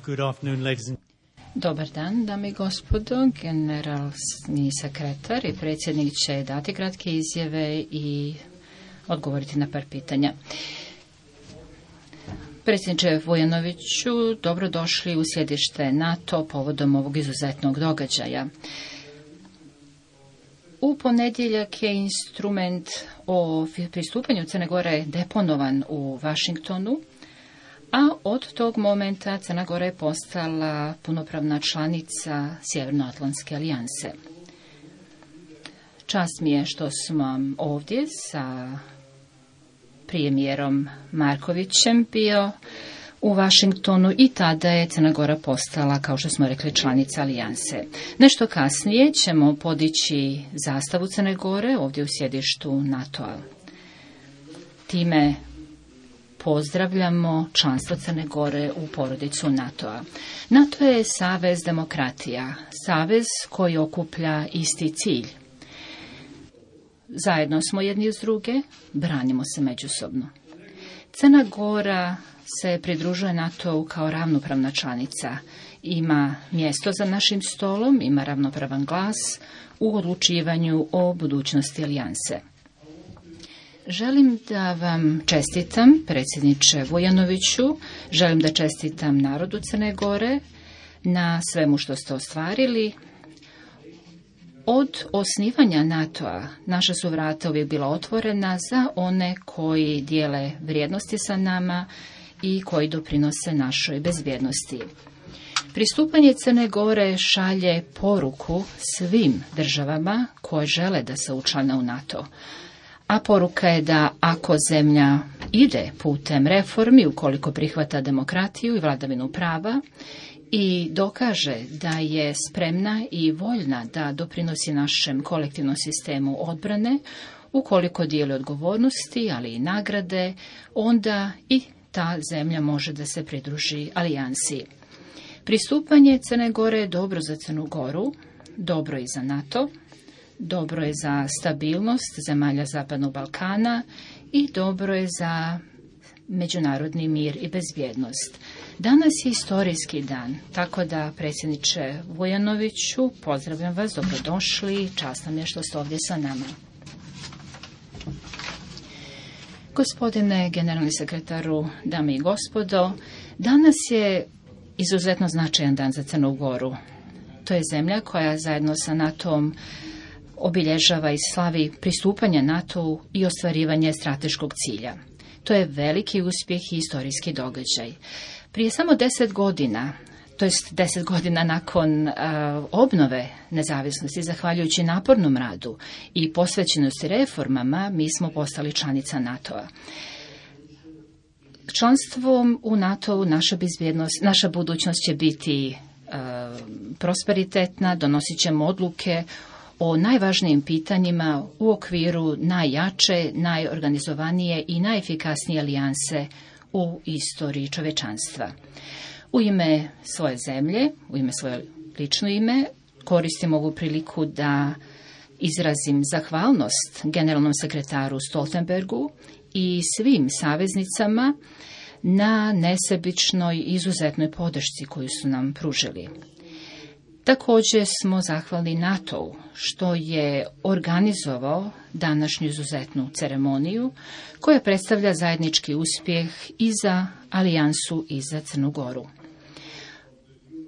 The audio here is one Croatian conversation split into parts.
Good afternoon, ladies and Dobar dan, dame i gospodo. Generalni sekretar i predsjednik će dati kratke izjave i odgovoriti na par pitanja. Predsjedniče Vujanoviću, dobrodošli u sjedište NATO povodom ovog izuzetnog događaja. U ponedjeljak je instrument o pristupanju Crne Gore deponovan u Washingtonu, a od tog momenta Crna Gora je postala punopravna članica Sjevernoatlantske alijanse. Čast mi je što sam ovdje sa premijerom Markovićem bio u Washingtonu i tada je Crna Gora postala, kao što smo rekli, članica alijanse. Nešto kasnije ćemo podići zastavu Crne Gore ovdje u sjedištu NATO-a. Time pozdravljamo članstvo Crne Gore u porodicu NATO-a. NATO je savez demokratija, savez koji okuplja isti cilj. Zajedno smo jedni uz druge, branimo se međusobno. Crna Gora se pridružuje NATO-u kao ravnopravna članica. Ima mjesto za našim stolom, ima ravnopravan glas u odlučivanju o budućnosti alijanse. Želim da vam čestitam, predsjedniče Vujanoviću, želim da čestitam narodu Crne Gore na svemu što ste ostvarili. Od osnivanja NATO-a naša su vrata uvijek bila otvorena za one koji dijele vrijednosti sa nama i koji doprinose našoj bezbjednosti. Pristupanje Crne Gore šalje poruku svim državama koje žele da se učlane u NATO. A poruka je da ako zemlja ide putem reformi, ukoliko prihvata demokratiju i vladavinu prava i dokaže da je spremna i voljna da doprinosi našem kolektivnom sistemu odbrane, ukoliko dijeli odgovornosti, ali i nagrade, onda i ta zemlja može da se pridruži alijansi. Pristupanje Crne Gore je dobro za Crnu Goru, dobro i za NATO, dobro je za stabilnost zemalja Zapadnog Balkana i dobro je za međunarodni mir i bezbjednost. Danas je historijski dan, tako da, predsjedniče Vujanoviću, pozdravljam vas, dobrodošli, čast nam je što ste ovdje sa nama. Gospodine generalni sekretaru, dame i gospodo, danas je izuzetno značajan dan za Crnu Goru. To je zemlja koja zajedno sa NATO-om obilježava i slavi pristupanje NATO-u i ostvarivanje strateškog cilja. To je veliki uspjeh i historijski događaj. Prije samo 10 godina, to jest 10 godina nakon obnove nezavisnosti, zahvaljujući napornom radu i posvećenosti reformama, mi smo postali članica NATO-a. Članstvom u NATO-u naša budućnost će biti prosperitetna, donosit ćemo odluke o najvažnijim pitanjima u okviru najjače, najorganizovanije i najefikasnije alijanse u istoriji čovečanstva. U ime svoje zemlje, u ime svoje lično ime, koristim ovu priliku da izrazim zahvalnost generalnom sekretaru Stoltenbergu i svim saveznicama na nesebičnoj izuzetnoj podršci koju su nam pružili. Također smo zahvalni NATO-u što je organizovao današnju izuzetnu ceremoniju koja predstavlja zajednički uspjeh i za alijansu i za Crnu Goru.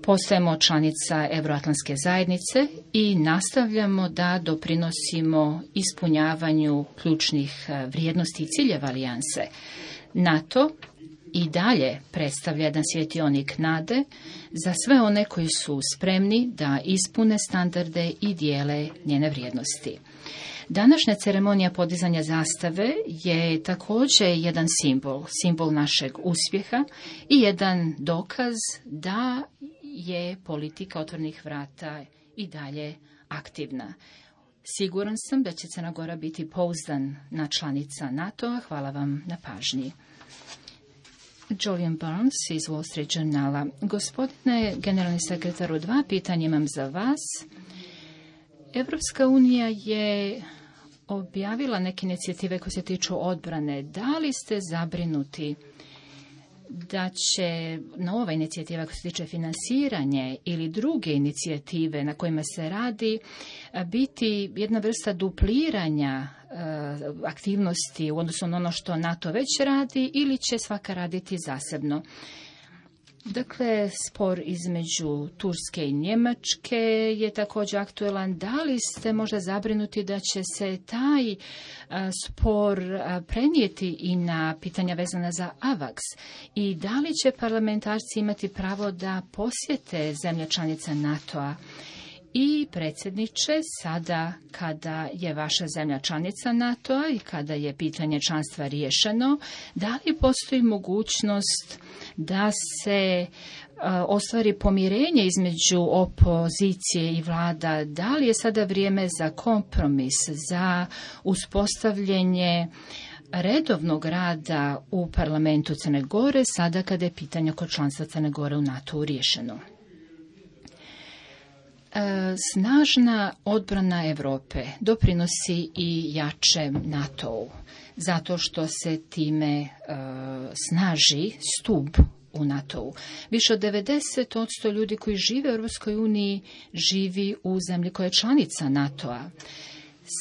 Postajemo članica Euroatlantske zajednice i nastavljamo da doprinosimo ispunjavanju ključnih vrijednosti i ciljeva alijanse. NATO i dalje predstavlja jedan svjetionik nade za sve one koji su spremni da ispune standarde i dijele njene vrijednosti. Današnja ceremonija podizanja zastave je također jedan simbol našeg uspjeha i jedan dokaz da je politika otvorenih vrata i dalje aktivna. Siguran sam da će Crna Gora biti pouzdana članica NATO-a. Hvala vam na pažnji. Julian Burns iz Wall Street Journala. Gospodine generalni sekretaru, 2 pitanja imam za vas. Evropska unija je objavila neke inicijative koje se tiču odbrane. Da li ste zabrinuti da će nova inicijativa koja se tiče financiranje ili druge inicijative na kojima se radi biti jedna vrsta dupliranja aktivnosti u odnosu na ono što NATO već radi ili će svaka raditi zasebno. Dakle, spor između Turske i Njemačke je također aktuelan. Da li ste možda zabrinuti da će se taj spor prenijeti i na pitanja vezana za AVAX? I da li će parlamentarci imati pravo da posjete zemlje članice NATO-a? I predsjedniče, sada kada je vaša zemlja članica NATO-a i kada je pitanje članstva riješeno, da li postoji mogućnost da se ostvari pomirenje između opozicije i vlada? Da li je sada vrijeme za kompromis, za uspostavljanje redovnog rada u parlamentu Crne Gore, sada kada je pitanje oko članstva Crne Gore u NATO-u riješeno? Snažna odbrana Europe doprinosi i jačem NATO-u, zato što se time snaži stup u NATO-u. Više od 90% ljudi koji žive u Europskoj uniji živi u zemlji koja je članica NATO-a.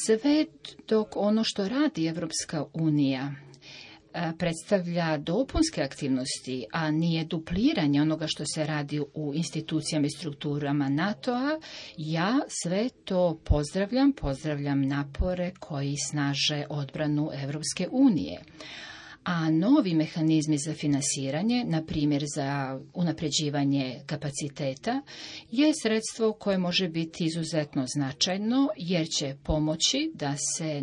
Sve dok ono što radi Europska unija predstavlja dopunske aktivnosti, a nije dupliranje onoga što se radi u institucijama i strukturama NATO-a, ja sve to pozdravljam napore koji snaže odbranu Europske unije. A novi mehanizmi za finansiranje, na primjer za unapređivanje kapaciteta, je sredstvo koje može biti izuzetno značajno jer će pomoći da se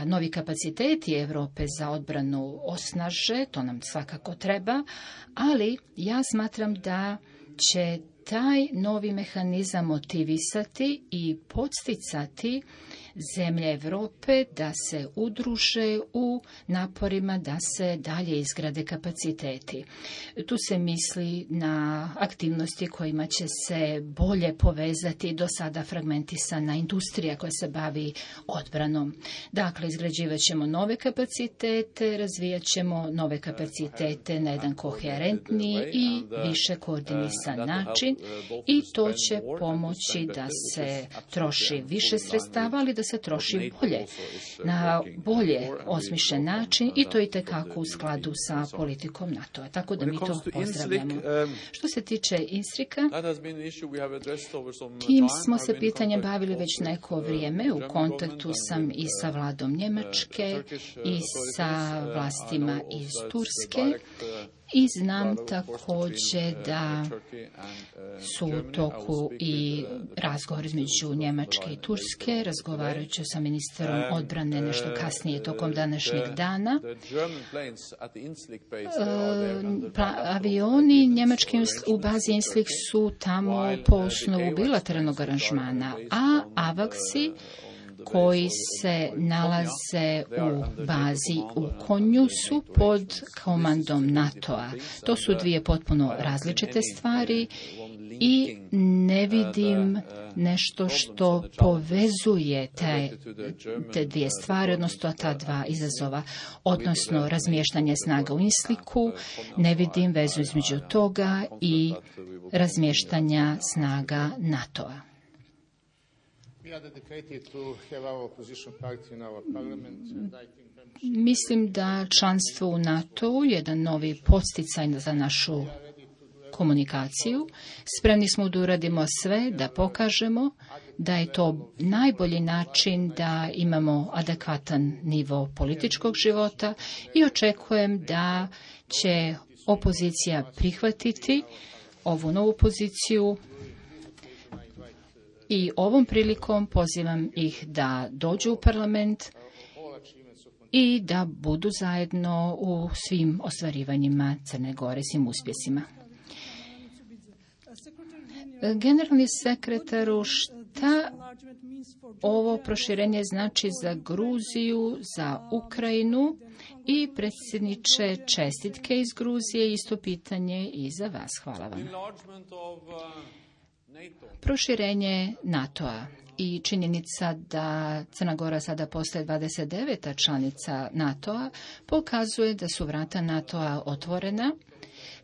novi kapaciteti Europe za odbranu osnaže, to nam svakako treba, ali ja smatram da će taj novi mehanizam motivisati i podsticati zemlje Europe da se udruže u naporima da se dalje izgrade kapaciteti. Tu se misli na aktivnosti kojima će se bolje povezati do sada fragmentisana industrija koja se bavi odbranom. Dakle, izgrađivat ćemo nove kapacitete, razvijat ćemo nove kapacitete na jedan koherentniji i više koordinisan način i to će pomoći da se troši više sredstava, ali da se troši bolje, na bolje osmišljen način i to itekako u skladu sa politikom NATO-a. Tako da mi to pozdravljamo. Što se tiče INSRIK-a, tim smo se pitanjem bavili već neko vrijeme. U kontaktu sam i sa vladom Njemačke i sa vlastima iz Turske. I znam također da su u toku i razgovor između Njemačke i Turske, razgovarajući sa ministrom odbrane nešto kasnije tokom današnjeg dana. Avioni njemački u bazi INSLIK su tamo po osnovu bilateralnog aranžmana, a AVAX-i koji se nalaze u bazi u Konju su pod komandom NATO-a. To su dvije potpuno različite stvari i ne vidim nešto što povezuje te dvije stvari, odnosno ta dva izazova, odnosno razmještanje snaga u INSLIK-u. Ne vidim vezu između toga i razmještanja snaga NATO-a. Mislim da članstvo u NATO-u je jedan novi podsticaj za našu komunikaciju. Spremni smo da uradimo sve, da pokažemo da je to najbolji način da imamo adekvatan nivo političkog života i očekujem da će opozicija prihvatiti ovu novu poziciju. I ovom prilikom pozivam ih da dođu u parlament i da budu zajedno u svim ostvarivanjima Crne Gore, svim uspjesima. Generalni sekretaru, šta ovo proširenje znači za Gruziju, za Ukrajinu i predsjedniče čestitke iz Gruzije, isto pitanje i za vas. Hvala vam. Proširenje NATO-a i činjenica da Crna Gora sada postaje 29. članica NATO-a pokazuje da su vrata NATO-a otvorena.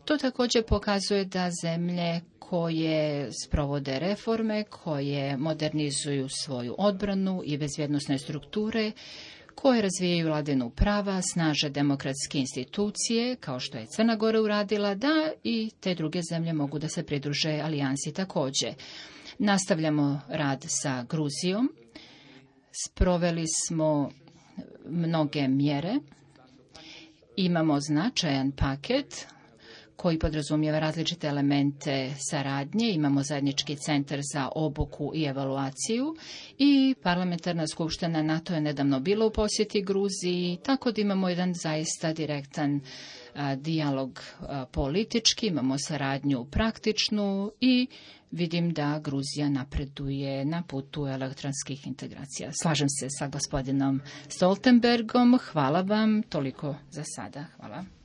To također pokazuje da zemlje koje sprovode reforme, koje modernizuju svoju odbranu i bezbjednosne strukture, koje razvijaju vladavinu prava, snaže demokratske institucije, kao što je Crna Gora uradila, da i te druge zemlje mogu da se pridruže alijansi također. Nastavljamo rad sa Gruzijom. Sproveli smo mnoge mjere. Imamo značajan paket koji podrazumijeva različite elemente saradnje. Imamo zajednički centar za obuku i evaluaciju i parlamentarna skupština NATO je nedavno bila u posjeti Gruziji, tako da imamo jedan zaista direktan dijalog politički, imamo saradnju praktičnu i vidim da Gruzija napreduje na putu elektronskih integracija. Slažem se sa gospodinom Stoltenbergom. Hvala vam. Toliko za sada. Hvala.